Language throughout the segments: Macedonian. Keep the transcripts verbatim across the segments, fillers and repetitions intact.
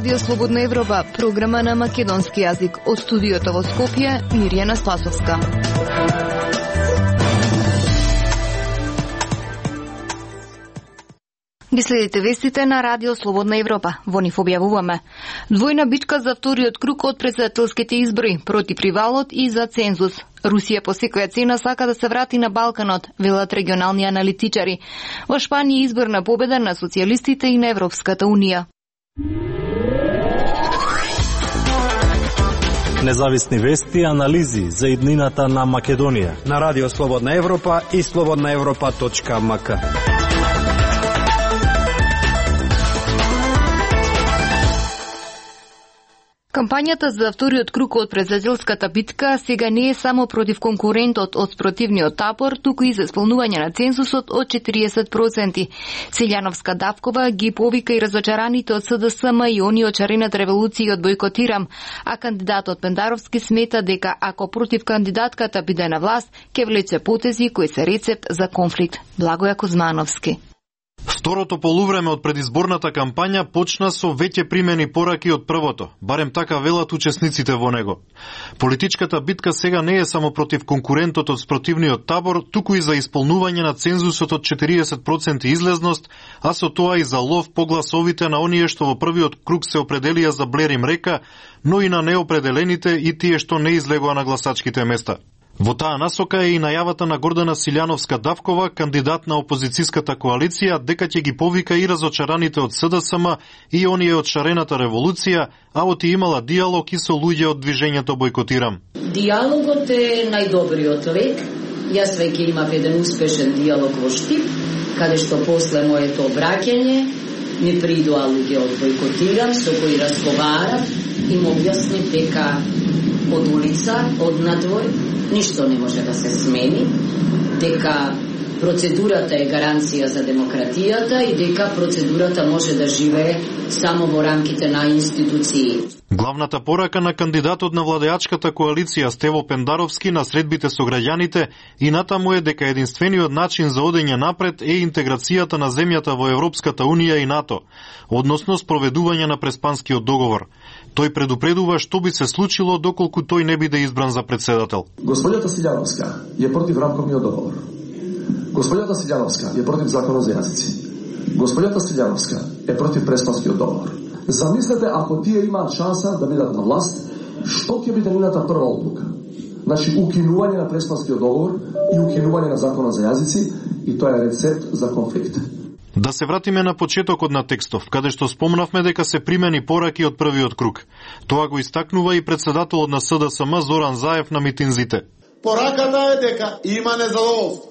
Радио Слободна Европа, програма на македонски јазик. Од студиото во Скопје, Мирјана Спасовска. Ги следите вестите на Радио Слободна Европа. Во нив објавуваме двојна битка за вториот круг од претседателските избори, против привалот и за цензус. Русија по секоја цена сака да се врати на Балканот, велат регионални аналитичари. Во Шпанија изборна победа на социјалистите и на Европската Унија. Независни вести и анализи за иднината на Македонија на Радио Слободна Европа и слободна европа точка ем ка. Кампањата за вториот круг од претседателската битка сега не е само против конкурентот од спротивниот табор, туку и за исполнување на цензусот од четириесет проценти. Силјановска Давкова ги повика и разочараните од С Д С М и они од шарената револуција од Бојкотирам, а кандидатот Пендаровски смета дека ако против кандидатката биде на власт, ќе влече потези кои се рецепт за конфликт. Благоја Кузмановски. Второто полувреме од предизборната кампања почна со веќе примени пораки од првото, барем така велат учесниците во него. Политичката битка сега не е само против конкурентот од спротивниот табор, туку и за исполнување на цензусот од четириесет проценти излезност, а со тоа и за лов по гласовите на оние што во првиот круг се определија за Блерим Река, но и на неопределените и тие што не излегоа на гласачките места. Во таа насока е и најавата на Гордана Силјановска Давкова, кандидат на опозицијската коалиција, дека ќе ги повика и разочараните од С Д С М и оние од шарената револуција, а оти имала диалог и со луѓе од движењето Бојкотирам. Диалогот е најдобриот лек. Јас веќе имав еден успешен диалог во Штип, каде што после моето враќање ми придоа луѓе од Бојкотирам, со кои разговарав и му објаснив дека од улица, од надвор, ништо не може да се смени, дека процедурата е гаранција за демократијата и дека процедурата може да живее само во рамките на институции. Главната порака на кандидатот на владеачката коалиција Стево Пендаровски на средбите со граѓаните и натаму е дека единствениот начин за одење напред е интеграцијата на земјата во Европската Унија и НАТО, односно спроведување на Преспанскиот договор. Тој предупредува што би се случило доколку тој не биде избран за председател. Господјата Силјановска е против рамковниот договор. Господјата Силјановска е против законот за јазици. Господјата Силјановска е против Преспанскиот договор. Замислете ако тие имаат шанса да бидат на власт, што ќе биде нивната прва одлука? Значи, укинување на Преспанскиот договор и укинување на законот за јазици, и тоа е рецепт за конфликт. Да се вратиме на почетокот на текстов, каде што спомнавме дека се примени пораки од првиот круг. Тоа го истакнува и председателот на С Д С М Зоран Заев на митинзите. Пораката е дека има незадоволство.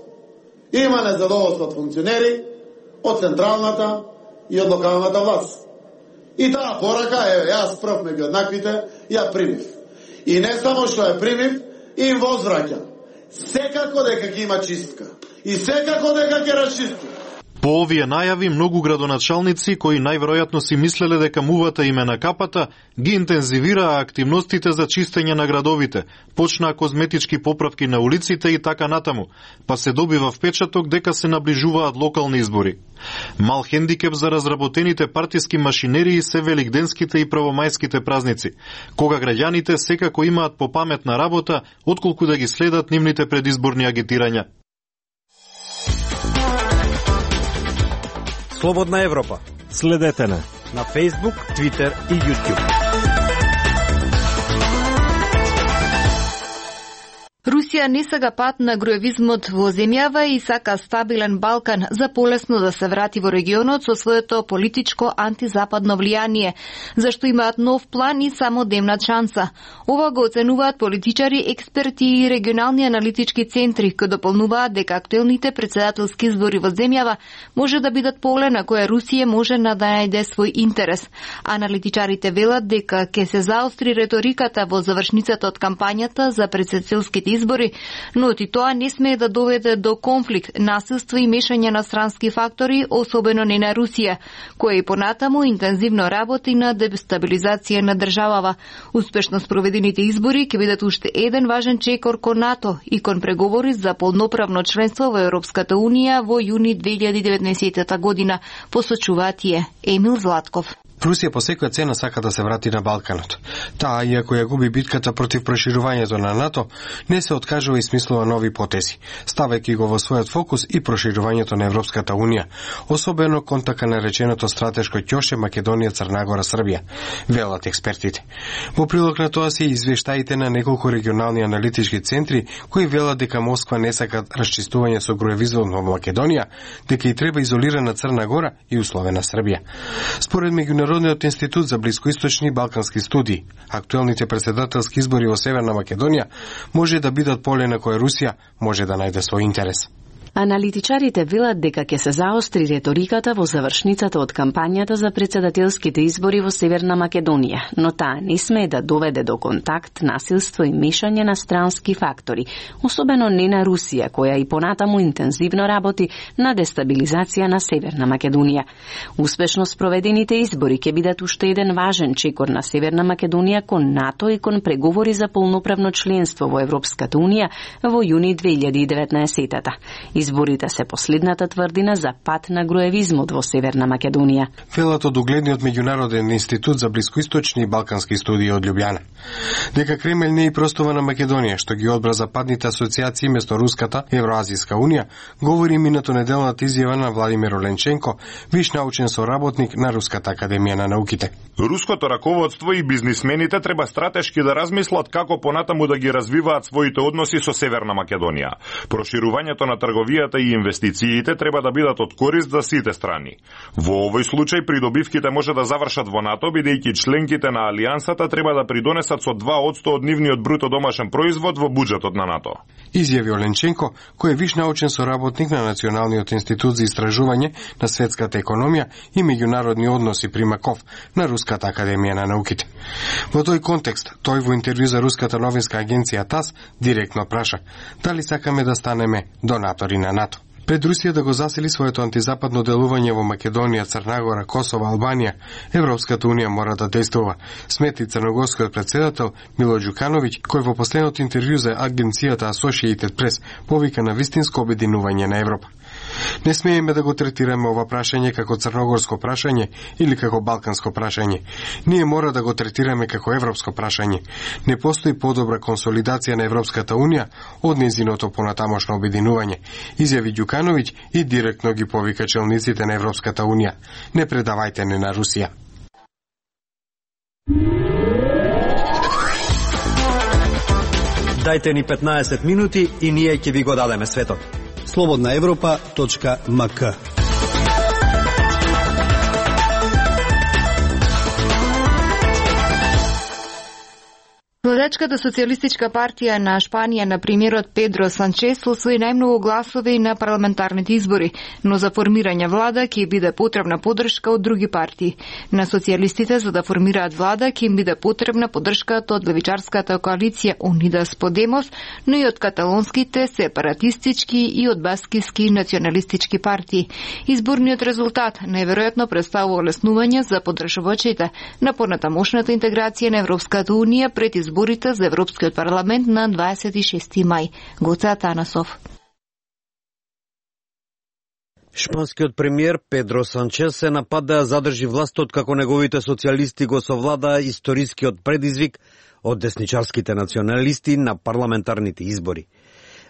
Има незадоволство од функционери, од централната и од локалната власт. И таа порака е, јас прв меѓу еднаквите, ја примив. И не само што ја примив, им возвраќам. Секако дека ќе има чистка. И секако дека ќе расчисти. По овие најави, многу градоначалници, кои најверојатно си мислеле дека мувата им е на капата, ги интензивираа активностите за чистење на градовите, почнаа козметички поправки на улиците и така натаму, па се добива впечаток дека се наближуваат локални избори. Мал хендикеп за разработените партиски машинерии се великденските и правомајските празници, кога граѓаните секако имаат попаметна работа, отколку да ги следат нивните предизборни агитирања. Слободна Европа. Следете на на Facebook, Twitter и YouTube. Русија не сага пат на гроевизмот во земјава и сака стабилен Балкан за полесно да се врати во регионот со своето политичко антизападно влијание, зашто имаат нов план и само демнат шанса. Ова го оценуваат политичари, експерти и регионални аналитички центри, кои дополнуваат дека актуелните председателски избори во земјава може да бидат поле на кое Русија може да најде свој интерес. Аналитичарите велат дека ќе се заостри реториката во завршницата од кампањата за председателските избори, но и тоа не смее да доведе до конфликт, насилство и мешање на странски фактори, особено не на Русија, која и понатаму интензивно работи на дестабилизација на државава. Успешно спроведените избори ќе бидат уште еден важен чекор кон НАТО и кон преговори за полноправно членство во Европската Унија во јуни две илјади и деветнаесетта година, посочува тие. Емил Златков. Русија по секоја цена сака да се врати на Балканот. Таа, иако ја губи битката против проширувањето на НАТО, не се откажува и смислува нови потези, ставајќи го во својот фокус и проширувањето на Европската Унија, особено кон така нареченото стратешко ќоше Македонија, Црна Гора, Србија, велат експертите. Во прилог на тоа се извештаите на неколку регионални аналитички центри кои велат дека Москва не сака расчистување со груевизмот во Македонија, дека и треба изолирана Црна Гора и условена Србија. Според Меѓународниот институт за блискоисточни и балкански студии, актуелните председателски избори во Северна Македонија може да бидат поле на кое Русија може да најде свој интерес. Аналитичарите велат дека ќе се заостри реториката во завршницата од кампањата за председателските избори во Северна Македонија, но таа не смее да доведе до контакт, насилство и мешање на странски фактори, особено не на Русија, која и понатаму интензивно работи на дестабилизација на Северна Македонија. Успешно спроведените избори ќе бидат уште еден важен чекор на Северна Македонија кон НАТО и кон преговори за полноправно членство во Европската Унија во јуни две илјади и деветнаесетта. Изборите се последната тврдина за пат на груевизмот во Северна Македонија. Велат од угледниот Меѓународен институт за блискоисточни и балкански студии од Љубљана. Дека Кремљ не и простува на Македонија, што ги одбра западните асоциации место Руската Евроазијска унија, говори минато неделната изјава на Владимир Оленченко, виш научен соработник на Руската академија на науките. Руското раководство и бизнисмените треба стратешки да размислат како понатаму да ги развиваат своите односи со Северна Македонија. Проширувањето на трговијата и инвестициите треба да бидат од корист за сите страни. Во овој случај придобивките може да завршат во НАТО, бидејќи членките на алијансата треба да придонесат со два одсто од нивниот бруто домашен производ во буџетот на НАТО. Изјави Оленченко, кој е виш научен соработник на Националниот институт за истражување на светската економија и меѓународни односи при МАКОВ на Руската академија на науките. Во тој контекст, тој во интервју за руската новинска агенција ТАСС директно праша дали сакаме да станеме донатори на НАТО. Пред Русија да го засили своето антизападно делување во Македонија, Црна Гора, Косово, Албанија, Европската Унија мора да действува, смети црногорскиот председател Мило Ѓукановиќ, кој во последното интервју за агенцијата Associated Press повика на вистинско обединување на Европа. Не смееме да го третираме ова прашање како црногорско прашање или како балканско прашање. Ние мора да го третираме како европско прашање. Не постои подобра консолидација на Европската Унија од нејзиното понатамошно обединување, изјави Ѓукановиќ и директно ги повика челниците на Европската Унија. Не предавајте не на Русија. Дајте ни петнаесет минути и ние ќе ви го дадеме светот. слободна европа точка ем ка. Младечката социјалистичка партија на Шпанија на премиерот Педро Санчес освои најмногу гласови на парламентарните избори, но за формирање влада ќе биде потребна поддршка од други партии. На социјалистите за да формираат влада ќе им биде потребна поддршката од левичарската коалиција Unidas Podemos, но и од каталонските сепаратистички и од баскиски националистички партии. Изборниот резултат најверојатно представува олеснување за поддржувачите на понатамошната интеграција на Европската Унија пред изборите за Европскиот парламент на дваесет и шести мај. Гоце Атанасов. Шпанскиот премиер Педро Санчес се напад да задржи властот како неговите социјалисти го совлада историскиот предизвик од десничарските националисти на парламентарните избори.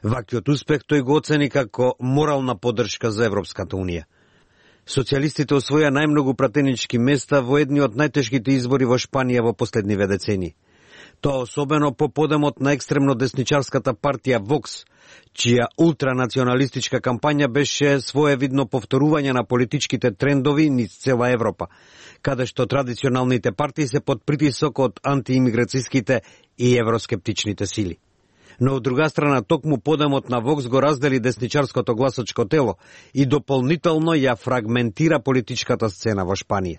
Ваквиот успех тој го оцени како морална поддршка за Европската Унија. Социјалистите освоја најмногу пратенички места во едни од најтешките избори во Шпанија во последниве децении. Тоа особено по подемот на екстремно десничарската партија Вокс, чија ултранационалистичка кампања беше своевидно повторување на политичките трендови низ цела Европа, каде што традиционалните партии се под притисок од антиимиграцијските и евроскептичните сили. Но од друга страна, токму подемот на Вокс го раздели десничарското гласачко тело и дополнително ја фрагментира политичката сцена во Шпанија.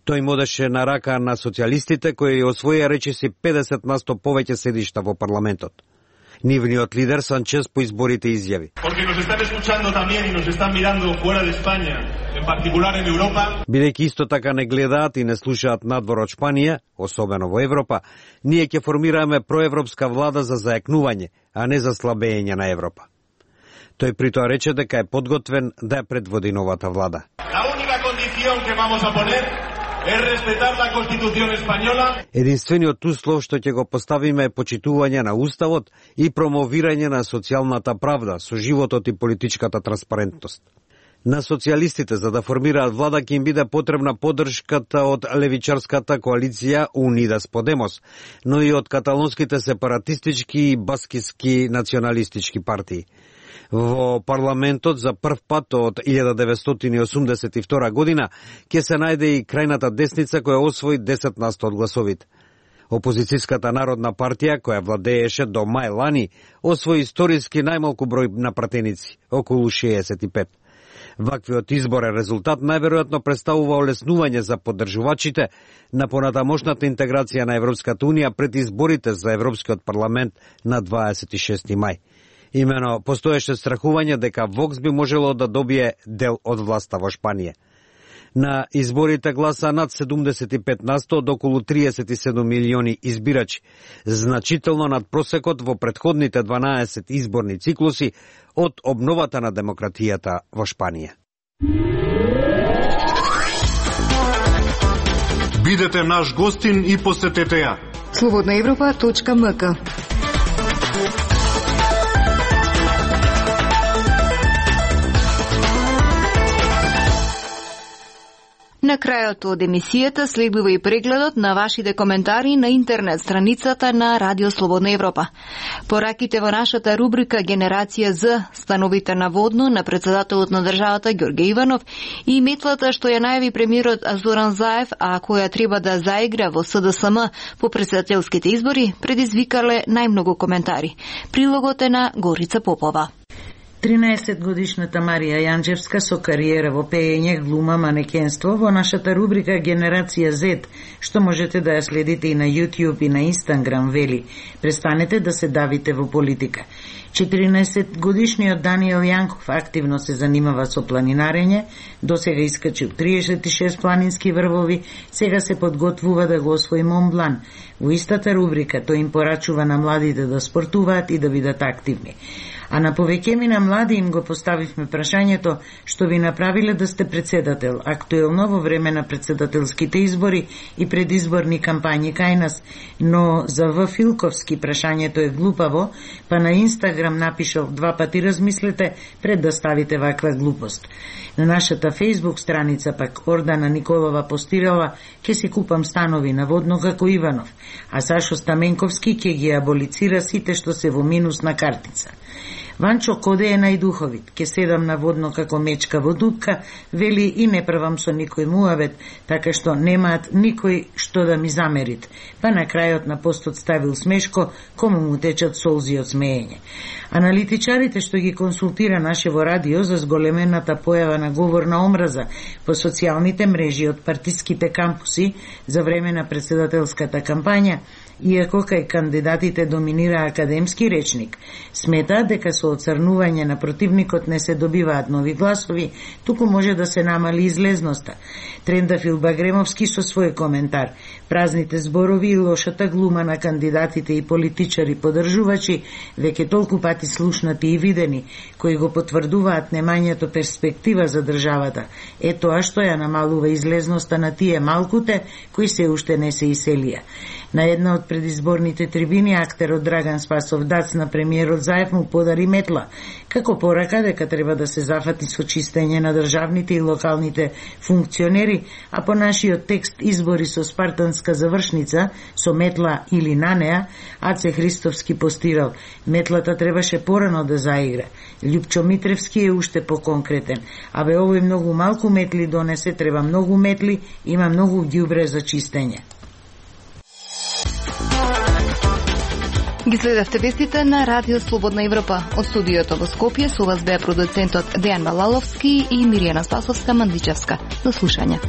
Тој им одеше на рака на социјалистите кои освоија речиси педесет на сто повеќе седишта во парламентот. Нивниот лидер Санчес по изборите изјави: бидејќи исто така не гледаат и не слушаат надвор од Шпанија, особено во Европа, ние ќе формираме проевропска влада за заекнување, а не за слабење на Европа. Тој при тоа рече дека е подготвен да ја предводи новата влада. es respetar la Constitución española. Единствениот услов што ќе го поставиме е почитување на уставот и промовирање на социјалната правда со животот и политичката транспарентност. На социјалистите за да формираат влада ќе им биде потребна поддршката од левичарската коалиција Unidas Podemos, но и од каталонските сепаратистички и баскиски националистички партии. Во парламентот за прв пат од илјада деветстотини и осумдесет и втора година ќе се најде и крајната десница која освои десет на сто од гласовите. Опозицијската народна партија, која владееше до мај лани, освои историски најмалку број на пратеници, околу шеесет и пет. Ваквиот изборен резултат најверојатно представува олеснување за поддржувачите на понатамошната интеграција на Европската Унија пред изборите за Европскиот парламент на дваесет и шести мај. Имено постоеше страхување дека Вокс би можело да добие дел од власта во Шпанија. На изборите гласа над седумдесет и пет на сто од околу триесет и седум милиони избирачи, значително над просекот во претходните дванаесет изборни циклуси од обновата на демократијата во Шпанија. Бидете наш гостин и посетете ја. слободна европа точка ем ка. На крајот од емисијата следува и прегледот на вашите коментари на интернет страницата на Радио Слободна Европа. Пораките во нашата рубрика Генерација Z, становите наводно на председателот на државата Ѓорѓе Иванов и метлата што ја најави премиерот Зоран Заев, а која треба да заигра во С Д С М по претседателските избори, предизвикале најмногу коментари. Прилогот е на Горица Попова. тринаесетгодишната Марија Јанџевска со кариера во пеење, глума, манекенство во нашата рубрика Генерација Z, што можете да ја следите и на YouTube и на Instagram, вели: престанете да се давите во политика. четиринаесетгодишниот Даниел Јанков активно се занимава со планинарење, досега искачил триесет и шест планински врвови, сега се подготвува да го освои Мон Блан. Во истата рубрика тој им порачува на младите да спортуваат и да бидат активни. А на повеќеми на млади им го поставивме прашањето што ви направиле да сте председател, актуелно во време на председателските избори и предизборни кампањи кај нас, но за В. Филковски прашањето е глупаво, па на Инстаграм напишал: два пати размислете пред да ставите ваква глупост. На нашата Фейсбук страница пак Ордана Николова постирала: ке си купам станови наводно како Иванов, а Сашо Стаменковски ке ги аболицира сите што се во минус на картица. Ванчо Коде е најдуховит, ке седам наводно како мечка во дупка, вели и не правам со никој муавет, така што немаат никој што да ми замерит. Па на крајот на постот ставил смешко, кому му течат солзи од смеење. Аналитичарите што ги консултира Нашево радио за зголемената појава на говорна омраза по социјалните мрежи од партиските кампуси за време на председателската кампања, иако кај кандидатите доминира академски речник, смета дека со оцрнување на противникот не се добиваат нови гласови, туку може да се намали излезноста. Трендафил Багремовски со свој коментар: празните зборови и лошата глума на кандидатите и политичари поддржувачи, веќе толку пати слушнати и видени, кои го потврдуваат немањето перспектива за државата, е тоа што ја намалува излезноста на тие малкуте кои се уште не се иселија. На една од предизборните трибини актерот Драган Спасов Дац на премиерот Заев му подари метла, како порака дека треба да се зафати со чистење на државните и локалните функционери, а по нашиот текст избори со спартанска завршница, со метла или на неа, Аце Христовски постирал: метлата требаше порано да заигра. Љупчо Митревски е уште поконкретен: абе овој многу малку метли донесе, треба многу метли, има многу ѓубре за чистење. Ги следевте вестите на Радио Слободна Европа. Од студиото во Скопје со вас беа продуцентот Дејан Балаловски и Миријана Спасовска-Мандичевска. До слушање.